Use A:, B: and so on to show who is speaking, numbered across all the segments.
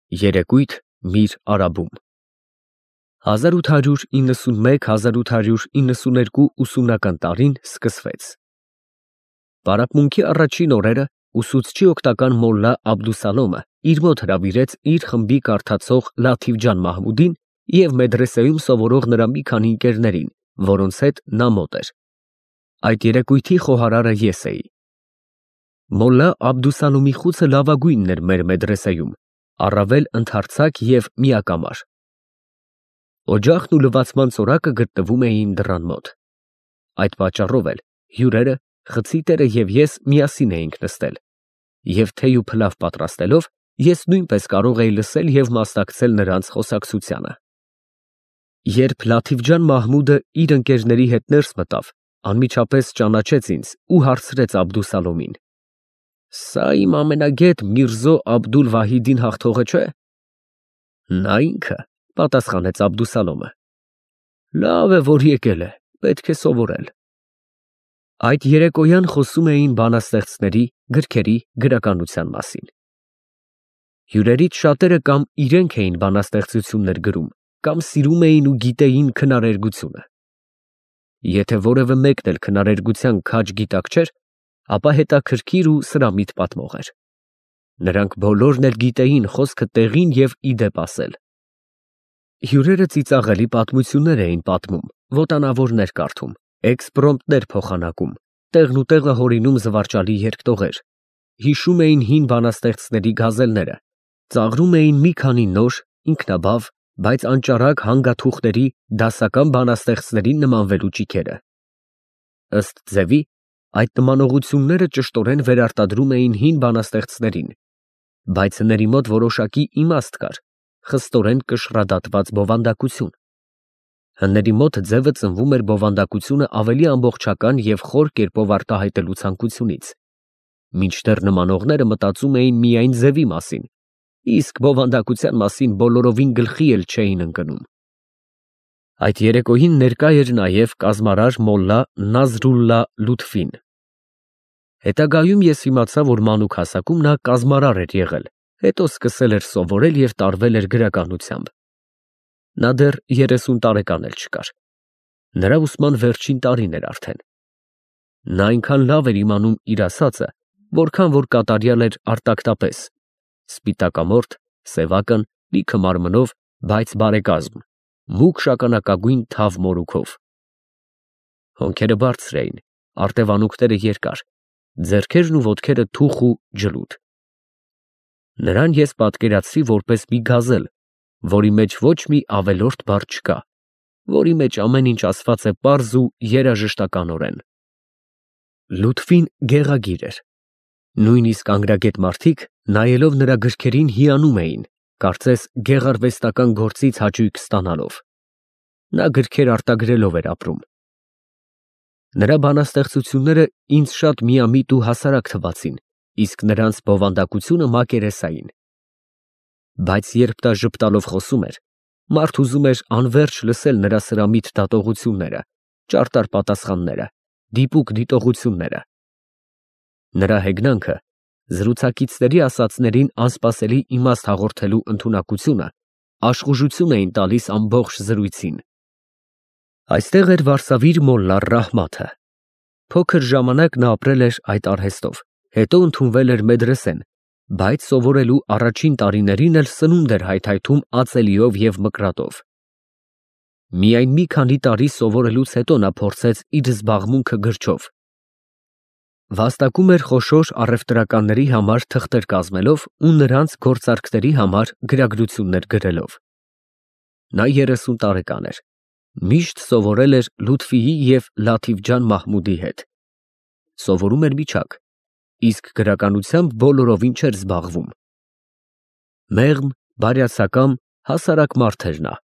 A: Երեկույթ Միր Արաբում 1891-1892 ուսումնական տարին սկսվեց։ Պարապմունքի առաջին օրերը ուսուցչի օգնական մոլլա Աբդուսալոմը իր մոտ հրավիրեց իր խմբի կարդացող Լաթիֆ ջան Մահմուդին և մեդրեսեում սովորող նրա մի քանի ընկերներին, որոնց հետ նա մոտ էր։ Այդ երեկույթի խոհարարը ես էի։ Մոլլա Աբդուսալոմի խուցը լավագույնն էր մեր մեդրեսեում, առավել ընդարձակ և միակամար։ Օջախն ու լվացման ծորակը գտնվում էին դռան մոտ։ Այդ պատճառով էլ հյուրերը, խցի տերը և ես միասին էինք նստել, և թեյ ու փլավ պատրաստելով, ես նույնպես կարող էի լսել և մասնակցել նրանց խոսակցությանը։ Երբ Լաթիֆ ջան Մահմուդը իր ընկերների հետ ներս մտավ, անմիջապես ճանաչեց ինձ ու հարցրեց Աբդուսալոմին. «Սա իմ ամենագետ Միրզո Աբդուլ֊Վահիդին հաղթողը չէ՞»։ «Նա ինքը», պատասխանեց Աբդուսալոմը։ «Լավ է, որ եկել է, պետք է սովորել»։ Այդ երեկոյան խոսում էին բանաստեղծների, գրքերի, գրականության մասին։ Հյուրերից շատերը կամ իրենք էին բանաստեղծություններ գրում, կամ սիրում էին ու գիտեին քնարերգությունը։ Եթե որևէ մեկն էլ քնարերգության քաջ գիտակ չէր, ապա հետաքրքիր ու սրամիտ պատմող էր։ Նրանք բոլորն էլ գիտեին խոսքը տեղին և ի դեպ ասել։ Հյուրերը ծիծաղելի պատմություններ էին պատմում, ոտանավորներ կարդում, էքսպրոմտներ փոխանակում, տեղնուտեղը հորինում զվարճալի երգտողեր, հիշում էին հին բանաստեղծների գազելները, ծաղրում էին մի քանի նոր, ինքնաբավ, բայց անճարակ հանգաթուղթերի դասական բանաստեղծներին նմանվելու ճիգերը։ Ըստ ձևի, այդ նմանությունները ճշտորեն վերարտադրում էին հին բանաստեղծներին, բայց հների մոտ որոշակի իմաստ կար, խստորեն կշռադատված բովանդակություն։ Հների մոտ ձևը ծնվում էր բովանդակությունը ավելի ամբողջական և խոր կերպով արտահայտելու ցանկությունից, մինչդեռ նմանողները մտածում էին միայն ձևի մասին, իսկ բովանդակության մասին բոլորովին գլխի էլ չէին ընկնում։ Այդ երեկոյին ներկա էր նաև կազմարար մոլլա Նազրուլլա Լութֆին։ Հետագայում ես իմացա, որ մանուկ հասակում նա կազմարար էր եղել, հետո սկսել էր սովորել և տարվել էր գրականությամբ։ Նա դեռ 30 տարեկան էլ չկար։ Նրա ուսման վերջին տարին էր արդեն։ Նա այնքան լավ էր իմանում իր ասածը, որքան որ կատարյալ էր արտակտապես, սպիտակամորթ, սևակն, լիքը մարմնով, բայց բարեկազմ, մուգ շագանակագույն թավ մորուքով։ Հոնքերը բարձր էին, արտևանունքները երկար, ձեռքերն ու ոտքերը թուխ ու ջլուդ։ Նրան ես պատկերացրի որպես մի գազել, որի մեջ ոչ մի ավելորդ բառ չկա, որի մեջ ամեն ինչ ասված է պարզ ու երաժշտականորեն։ Լութֆին գեղագիր էր։ Նույնիսկ անգրագետ մարդիկ, նայելով նրա գրքերին, հիանում էին, կարծես գեղարվեստական գործից հաճույք ստանալով։ Նա գրքեր արտագրելով էր ապրում։ Նրա բանաստեղծությունները ինձ շատ միամիտ ու հասարակ թվացին, իսկ նրանց բովանդակությունը մակերեսային։ Բայց երբ նա ժպտալով խոսում էր, մարդ ուզում էր անվերջ լսել նրա սրամիտ դատողությունները, ճարտար պատասխանները, դիպուկ դիտողությունները։ Նրա հեգնանքը, զրուցակիցների ասածներին անսպասելի իմաստ հաղորդելու ընդունակությունը աշխուժություն էին տալիս ամբողջ զրույցին։ Այստեղ էր Վարսավիր մոլլա Ռահմաթը։ Փոքր ժամանակ նա ապրել էր այդ արհեստով, հետո ընդունվել էր մեդրեսեն, բայց սովորելու առաջին տարիներին էլ սնունդ էր հայթայթում ածելիով և մկրատով։ Միայն մի քանի տարի սովորելուց հետո նա փորձեց իր զբաղմունքը գրչով։ Վաստակում էր խոշոր առևտրականների համար թղթեր կազմելով ու նրանց գործարքների համար գրագրություններ գրելով։ Նա 30 տարեկան էր, միշտ սովորել էր Լութֆիի և Լաթիֆ ջան Մահմուդի հետ։ Սովորում էր միջակ, իսկ գրականությամբ բոլորովին չէր զբաղվում։ Մեղմ, բարյացակամ, հասարակ մարդ էր նա,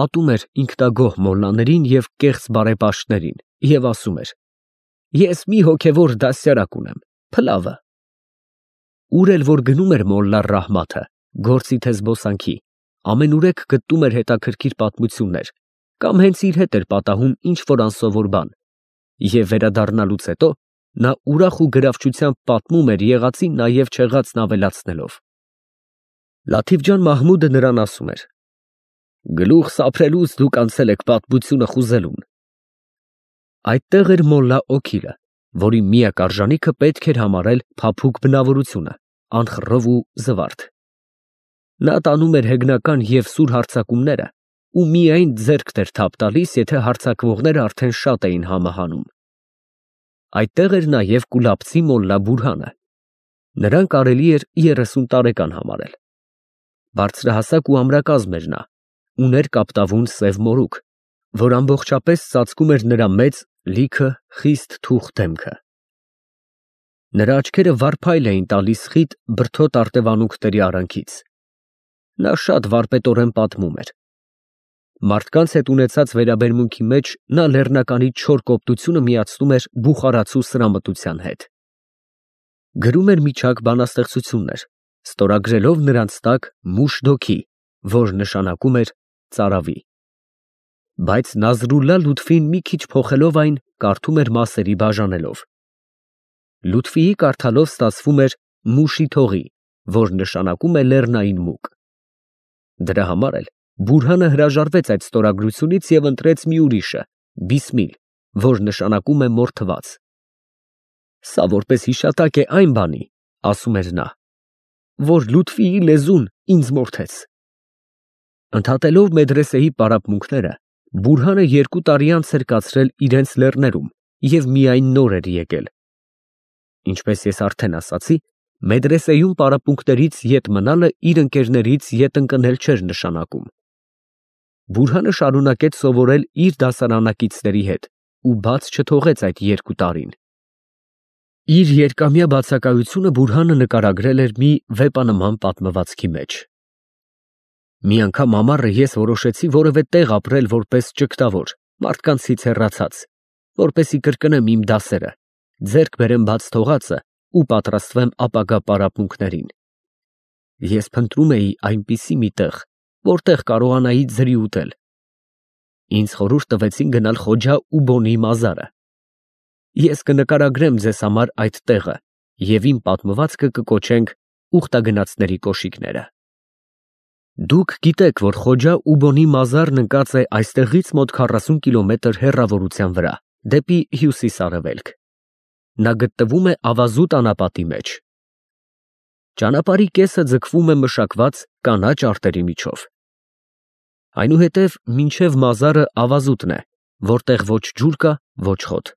A: ատում էր ինքնագոհ մոլլաներին և կեղծ բարեպաշտներին և ասում էր. «Ես մի հոգևոր դաստիարակ ունեմ, փլավը»։ Ուր էլ որ գնում էր մոլլա Ռահմաթը, գործի թե զբոսանքի, ամենուրեք գտնում էր հետաքրքիր պատմություններ, կամ հենց իր հետ էր պատահում ինչ֊որ անսովոր բան, և վերադառնալուց հետո նա ուրախ ու գրավչությամբ պատմում էր եղածին նաև չեղածն ավելացնելով։ Լաթիֆ ջան Մահմուդը նրան ասում էր. Գլուխ սափրելուց դուք անցել եք պատմությունը խուզելուն։ Այդտեղ էր մոլլա Օքիլը, որի միակ արժանիքը պետք էր համարել փափուկ բնավորությունը, անխռով ու զվարթ։ Նա տանում էր հեգնական և սուր հարձակումները ու միայն ձեռքն էր թափ տալիս, եթե հարձակվողները արդեն շատ էին համը հանում։ Այդտեղ էր նաև կուլաբցի մոլլա Բուրհանը։ Նրան կարելի էր 30 տարեկան համարել։ Բարձրահասակ ու ամրակազմ էր նա, ուներ կապտավուն սև մորուք, որ ամբողջապես ծածկում էր նրա մեծ, լիքը, խիստ թուխ դեմքը։ Նրա աչքերը վարդապայլ էին տալիս խիտ բրդոտ արտևանունքների արանքից։ Նա շատ վարպետորեն պատմում էր։ Մարդկանց հետ ունեցած վերաբերմունքի մեջ նա լեռնականի չոր կոպտությունը միացնում էր բուխարացու սրամտության հետ։ Գրում էր միջակ բանաստեղծություններ, ստորագրելով նրանց տակ Մուշդոքի, որ նշանակում էր ծարավի։ Բայց Նազրուլլա Լութֆին մի քիչ փոխելով այն, կարդում էր մասերի բաժանելով։ Լութֆիի կարդալով ստացվում էր Մուշիթողի, որ նշանակում է լեռնային մուկ։ Դրա համար էլ Բուրհանը հրաժարվեց այդ ստորագրությունից և ընտրեց մի ուրիշը՝ Բիսմիլ, որ նշանակում է մորթված։ Սա որպես հիշատակ է այն բանի, ասում էր նա, որ Լութֆիի լեզուն ինձ մորթեց։ Ընդհատելով մեդրեսեի պարապմունքները, Բուրհանը 2 տարի անց էր կացրել իրենց լեռներում և միայն նոր էր եկել։ Ինչպես ես արդեն ասացի, մեդրեսեյում պարապմունքներից ետ մնալը իր ընկերներից ետ ընկնել չէր նշանակում։ Բուրհանը շարունակեց սովորել իր դասարանակիցների հետ ու բաց չթողեց այդ 2 տարին։ Իր երկամյա բացակայությունը Բուրհանը նկարագրել էր մի վեպանման պատմվածքի մեջ։ Մի անգամ ամառը ես որոշեցի որևէ տեղ ապրել որպես ճգտավոր, մարդկանցից հեռացած, որպեսզի կրկնեմ իմ դասերը, ձեռք բերեմ բաց թողածը ու պատրաստվեմ ապագա պարապմունքներին։ Ես փնտրում էի այնպիսի մի տեղ, որտեղ կարողանայի ձրի ուտել։ Ինձ խորհուրդ տվեցին գնալ Խոջա Ուբոնի մազարը։ Ես կնկարագրեմ ձեզ համար այդ տեղը և իմ պատմվածքը կկոչենք ուխտագնացների կոշիկները։ Դուք գիտեք, որ Խոջա Ուբոնի մազարն ընկած է այստեղից մոտ 40 կիլոմետր հեռավորության վրա, դեպի հյուսիս֊արևելք։ Նա գտնվում է Ավազուտ անապատի մեջ։ Ճանապարհի կեսը ձգվում է մշակված կանաչ արտերի միջով։ Այնուհետև մինչև մազարը Ավազուտն է, որտեղ ոչ ջուր կա, ոչ խոտ։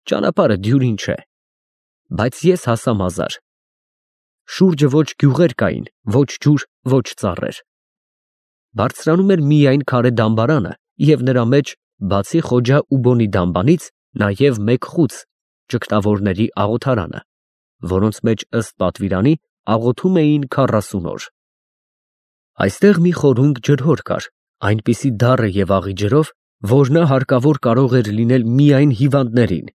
A: Ճանապարհը դյուրին չէ։ Բայց ես հասա մազար։ Շուրջը ոչ գյուղեր կային, ոչ ջուր, ոչ ծառեր։ Բարձրանում էր միայն քարե դամբարանը և նրա մեջ, բացի Խոջա Ուբոնի դամբանից, նաև մեկ խուց, ճգտավորների աղոթարանը, որոնց մեջ ըստ պատվիրանի աղոթում էին 40 օր։ Այստեղ մի խորունկ ջրհոր կար, այնպիսի դառը և աղի ջրով, որ նա հարկավոր կարող էր լինել միայն հիվանդներին,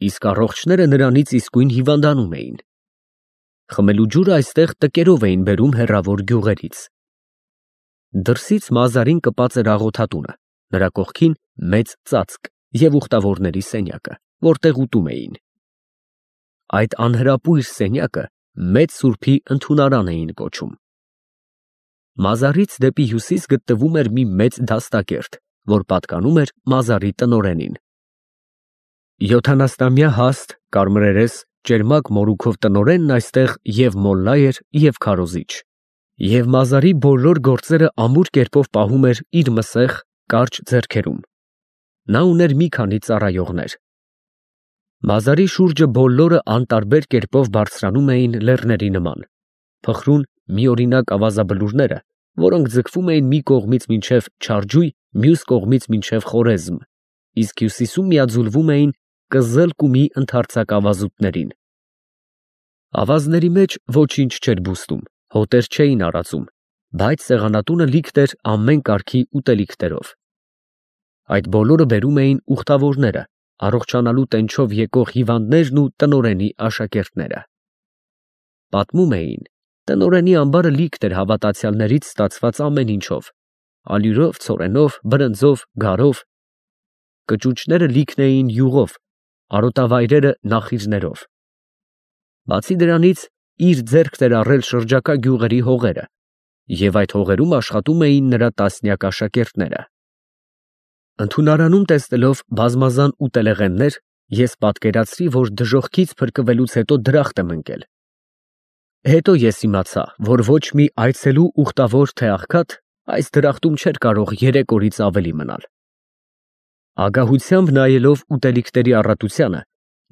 A: իսկ առողջները նրանից իսկույն հիվանդանում էին։ Խմելու ջուրը այստեղ տկերով էին բերում հեռավոր գյուղերից։ Դրսից մազարին կպած էր աղոթատունը, նրա կողքին մեծ ծածկ և ուխտավորների սենյակը, որտեղ ուտում էին։ Այդ անհրապույր սենյակը Մեծ Սուրբի ընդունարան էին կոչում։ Մազարից դեպի հյուսիս գտնվում էր մի մեծ դաստակերտ, որ պատկանում էր մազարի տնօրենին։ 70-ամյա հաստ, կարմրերես, ճերմակ մորուքով տնօրենն այստեղ և մոլլա էր, և քարոզիչ, և մազարի բոլոր գործերը ամուր կերպով պահում էր իր մսեղ, կարճ ձեռքերում։ Նա ուներ մի քանի ծառայողներ։ Մազարի շուրջը բոլորը անտարբեր կերպով բարձրանում էին լեռների նման, փխրուն միօրինակ ավազաբլուրները, որոնք ձգվում էին մի կողմից մինչև Չարջույ, մյուս կողմից մինչև Խորեզմ, իսկ հյուսիսում միաձուլվում էին Կզել֊Կումի ընդարձակ ավազուտներին։ Ավազների մեջ ոչինչ չէր բուստում, հոտեր չէին արածում, բայց սեղանատունը լիքն էր ամեն կարգի ուտելիքներով։ Այդ բոլորը բերում էին ուխտավորները, առողջանալու տենչով եկող հիվանդներն ու տնօրենի աշակերտները։ Պատմում էին, տնօրենի ամբարը լիքն էր հավատացյալներից ստացված ամեն ինչով, ալյուրով, ցորենով, բրնձով, գարով։ Կճուճները լիքն էին յուղով, արոտավայրերը նախիջներով։ Բացի դրանից, իր ձեռքն էր առել շրջակա գյուղերի հողերը, և այդ հողերում աշխատում էին նրա տասնյակ աշակերտները։ Ընդունարանում տեսնելով բազմազան ուտելեղեններ, ես պատկերացրի, որ դժոխքից փրկվելուց հետո դրախտ եմ ընկել։ Հետո ես իմացա, որ ոչ մի այցելու ուխտավոր թե աղքատ այս դրախտում չէր կարող 3 օրից ավելի մնալ։ Ագահությամբ նայելով ուտելիքների առատությանը,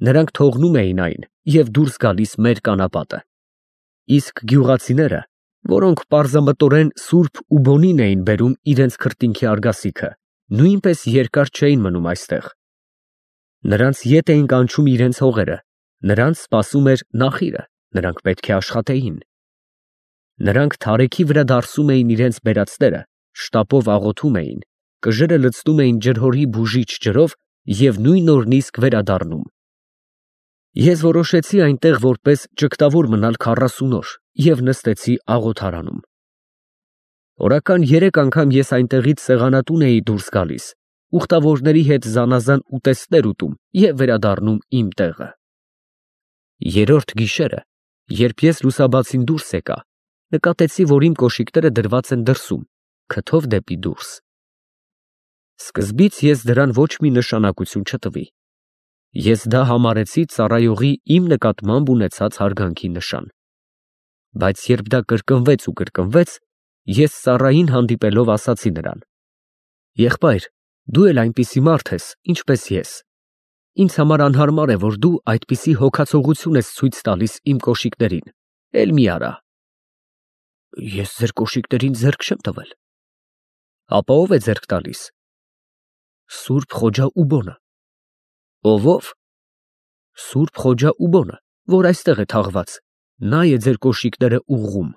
A: նրանք թողնում էին այն և դուրս գալիս մեր կանապատը։ Իսկ գյուղացիները, որոնք պարզամտորեն սուրբ ու բոնին էին բերում իրենց քրտինքի արգասիքը, նույնպես երկար չէին մնում այստեղ։ Նրանց ետ էին կանչում իրենց հողերը, նրանց սպասում էր նախիրը, նրանք պետք է աշխատեին։ Նրանք թարեքի վրա դարսում էին իրենց բերածները, շտապով աղոթում էին, կժերը լցնում էին ջրհորի բուժիչ ջրով և նույն օրն իսկ վերադառնում։ Ես որոշեցի այնտեղ որպես ճգտավոր մնալ 40 օր և նստեցի աղոթարանում։ Օրական 3 անգամ ես այնտեղից սեղանատուն էի դուրս գալիս, ուխտավորների հետ զանազան ուտեստներ ուտում և վերադառնում իմ տեղը։ Երրորդ գիշերը, երբ ես լուսաբացին դուրս եկա, նկատեցի, որ իմ կոշիկները դրված են դրսում, քթով դեպի դուրս։ Սկզբից ես դրան ոչ մի նշանակություն չտվի։ Ես դա համարեցի ծառայողի իմ նկատմամբ ունեցած հարգանքի նշան։ Բայց երբ դա կրկնվեց, ես ծառային հանդիպելով ասացի նրան. «Եղբայր, դու էլ այնպիսի մարդ ես, ինչպես ես։ Ինձ համար անհարմար է, որ դու այդպիսի հոգացողություն ես ցույց տալիս իմ կոշիկներին, էլ մի արա»։ «Ես ձեր կոշիկներին ձեռք չեմ տվել»։ «Ապա ով է ձեռք տալիս»։ «Սուրբ Խոջա Ուբոնը»։ «Ով»։ «Սուրբ Խոջա Ուբոնը, որ այստեղ է թաղված, նա է ձեր կոշիկները ուղղում»։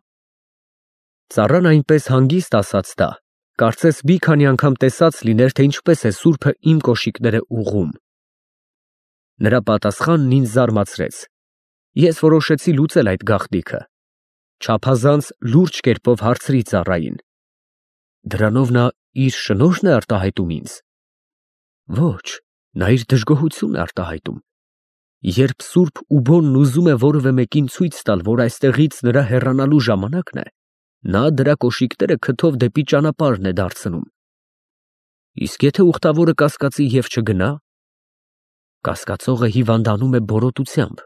A: Ծառան այնպես հանգիստ ասաց դա, կարծես մի քանի անգամ տեսած լիներ, թե ինչպես է սուրբը իմ կոշիկները ուղղում։ Նրա պատասխանն ինձ զարմացրեց։ Ես որոշեցի լուծել այդ գաղտնիքը։ Չափազանց լուրջ կերպով հարցրի ծառային. «Դրանով նա իր շնորհն է արտահայտում ինձ»։ «Ոչ, նա իր դժգոհությունն է արտահայտում։ Երբ սուրբ Ուբոնն ուզում է որևէ մեկին ցույց տալ, որ այստեղից նրա հեռանալու ժամանակն է, նա դրա կոշիկները քթով դեպի ճանապարհն է դարձնում։ Իսկ եթե ուխտավորը կասկածի և չգնա, կասկածողը հիվանդանում է բորոտությամբ»։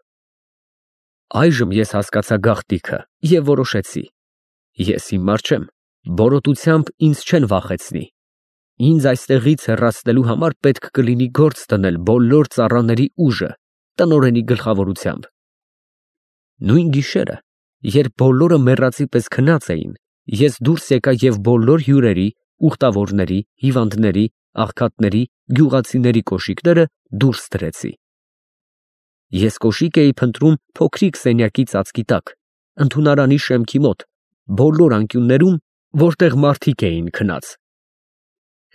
A: Այժմ ես հասկացա գաղտնիքը և որոշեցի. ես հիմար չեմ, բորոտությամբ ինձ չեն վախեցնի։ Ինձ այստեղից հեռացնելու համար պետք կլինի գործ դնել բոլոր ծառաների ուժը, տնօրենի գլխավորությամբ։ Նույն գիշերը, երբ բոլորը մեռածի պես քնած էին, ես դուրս եկա և բոլոր հյուրերի, ուխտավորների, հիվանդների, աղքատների, գյուղացիների կոշիկները դուրս դրեցի։ Ես կոշիկ էի փնտրում փոքրիկ սենյակի ծածկի տակ, ընդունարանի շեմքի մոտ, բոլոր անկյուններում, որտեղ մարդիկ էին քնած։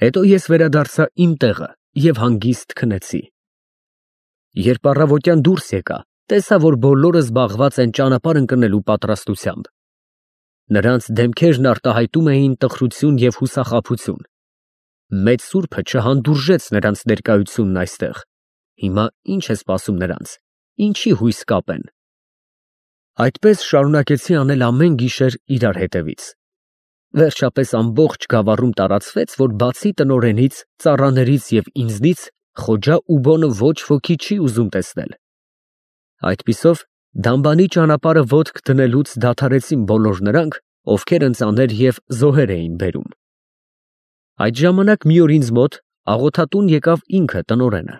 A: Հետո ես վերադարձա իմ տեղը և հանգիստ քնեցի։ Երբ առավոտյան դուրս եկա, տեսա, որ բոլորը զբաղված են ճանապարհ ընկնելու պատրաստությամբ։ Նրանց դեմքերն արտահայտում էին տխրություն և հուսախաբություն։ Մեծ սուրբը չհանդուրժեց նրանց ներկայությունն այստեղ։ Հիմա ի՞նչ է սպասում նրանց, ինչի հույս կապեն։ Այդպես շարունակեցի անել ամեն գիշեր իրար հետևից։ Վերջապես ամբողջ գավառում տարածվեց, որ բացի տնօրենից, ծառաներից և ինձնից, Խոջա Ուբոնը ոչ ոքի չի ուզում տեսնել։ Այդպիսով դամբանի ճանապարհը ոտք դնելուց դադարեցին բոլոր նրանք, ովքեր ընծաներ և զոհեր էին բերում։ Այդ ժամանակ մի օր ինձ մոտ աղոթատուն եկավ ինքը տնօրենը։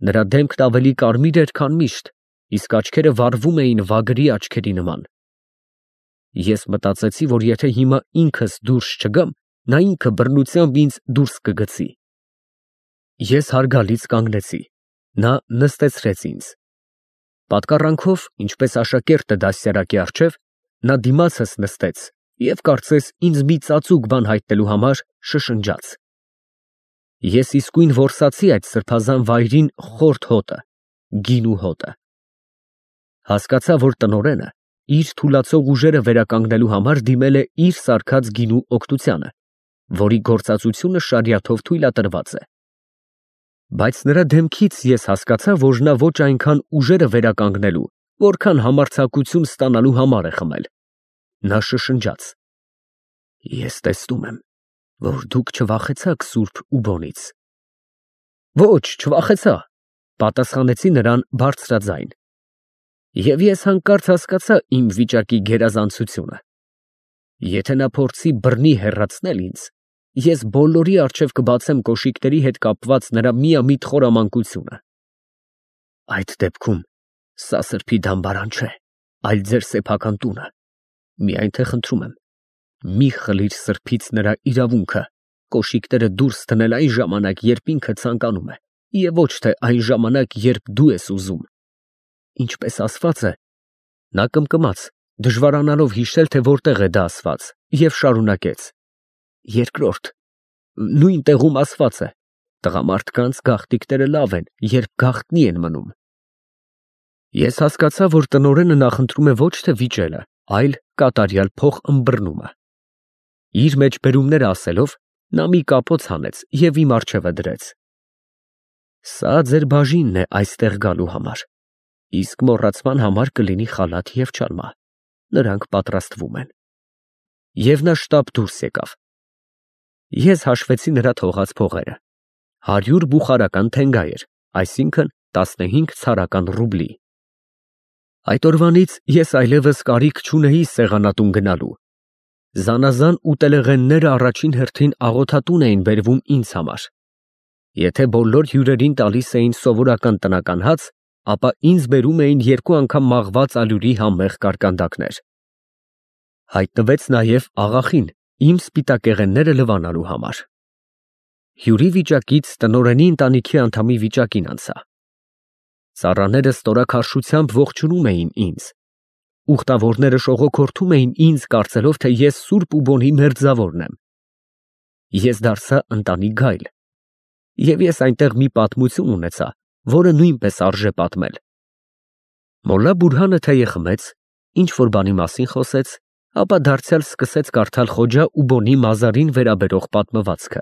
A: Նրա դեմքն ավելի կարմիր էր, քան միշտ, իսկ աչքերը վառվում էին վագրի աչքերի նման։ Ես մտածեցի, որ եթե հիմա ինքս դուրս չգամ, նա ինքը բռնությամբ ինձ դուրս կգցի։ Ես հարգալից կանգնեցի, նա նստեցրեց ինձ։ Պատկառանքով, ինչպես աշակերտը դաստիարակի առջև, նա դիմացս նստեց և կարծես ինձ մի ծածուկ բան հայտնելու համար շշնջաց։ Ես իսկույն որսացի այդ սրբազան վայրին խորթ հոտը, գինու հոտը։ Հասկացա, որ տնօրենը իր թուլացող ուժերը վերականգնելու համար դիմել է իր սարքած գինու օգնությանը, որի գործածությունը շարիաթով թույլատրված է։ Բայց նրա դեմքից ես հասկացա, որ նա ոչ այնքան ուժերը վերականգնելու, որքան համարձակություն ստանալու համար է խմել։ Նա շշնջաց. Ես տեսնում եմ, որ դուք չվախեցաք Սուրբ Ուբոնից։ Ոչ, չվախեցա, պատասխանեցի նրան բարձրաձայն։ Եվ ես հանկարծ հասկացա իմ վիճակի գերազանցությունը։ Եթե նա փորձի բռնի հեռացնել ինձ, ես բոլորի առջև կբացեմ կոշիկների հետ կապված նրա միամիտ խորամանկությունը։ Այդ դեպքում սա սրբի դամբարան չէ, այլ ձեր սեփական տունը։ Միայն թե խնդրում եմ, մի խլիր սրբից նրա իրավունքը կոշիկները դուրս դնել այն ժամանակ, երբ ինքը ցանկանում է, եւ ոչ թե այն ժամանակ, երբ դու ես ուզում։ Ինչպես ասված է, նա կմկմաց, դժվարանալով հիշել, թե որտեղ է դա ասված, եւ շարունակեց. Երկրորդ, նույն տեղում ասված է. տղամարդկանց գաղտիկները լավ են, երբ գաղտնի են մնում։ Ես հասկացա, որ տնօրենը նախընտրում է ոչ թե վիճելը, այլ կատարյալ փող ըմբռնումը։ Իր մեջբերումները ասելով, նա մի կապոց հանեց եւ իմ առջևը դրեց։ Սա ձեր բաժինն է այստեղ գալու համար, իսկ մոռացման համար կլինի խալաթ եւ չալմա։ Նրանք պատրաստվում են։ Եվ նա շտապ դուրս եկավ։ Ես հաշվեցի նրա թողած փողերը։ 100 բուխարական թենգայեր, այսինքն 15 ցարական ռուբլի։ Այդ օրվանից ես այլևս կարիք չունեի սեղանատուն գնալու։ Զանազան ուտելեղենները առաջին հերթին աղոթատուն էին բերվում ինձ համար։ Եթե բոլոր հյուրերին տալիս էին սովորական տնական հաց, ապա ինձ բերում էին 2 անգամ մաղված ալյուրի համեղ կարկանդակներ։ Հայտնվեց նաև աղախին իմ սպիտակեղենները լվանալու համար։ Հյուրի վիճակից տնօրենի ընտանիքի անդամի վիճակին անցա։ Ծառաները ստորաքարշությամբ ողջունում էին ինձ։ Ուխտավորները շողոքորթում էին ինձ, կարծելով, թե ես Սուրբ Ուբոնի մերձավորն եմ։ Ես դարձա ընտանի գայլ։ Եվ ես այնտեղ մի պատմություն ունեցա, որը նույնպես արժե պատմել։ Մոլլա Բուրհանը թեյ խմեց, ինչ որ բանի մասին խոսեց, ապա դարձյալ սկսեց կարդալ Խոջա Ուբոնի մազարին վերաբերող պատմվածքը։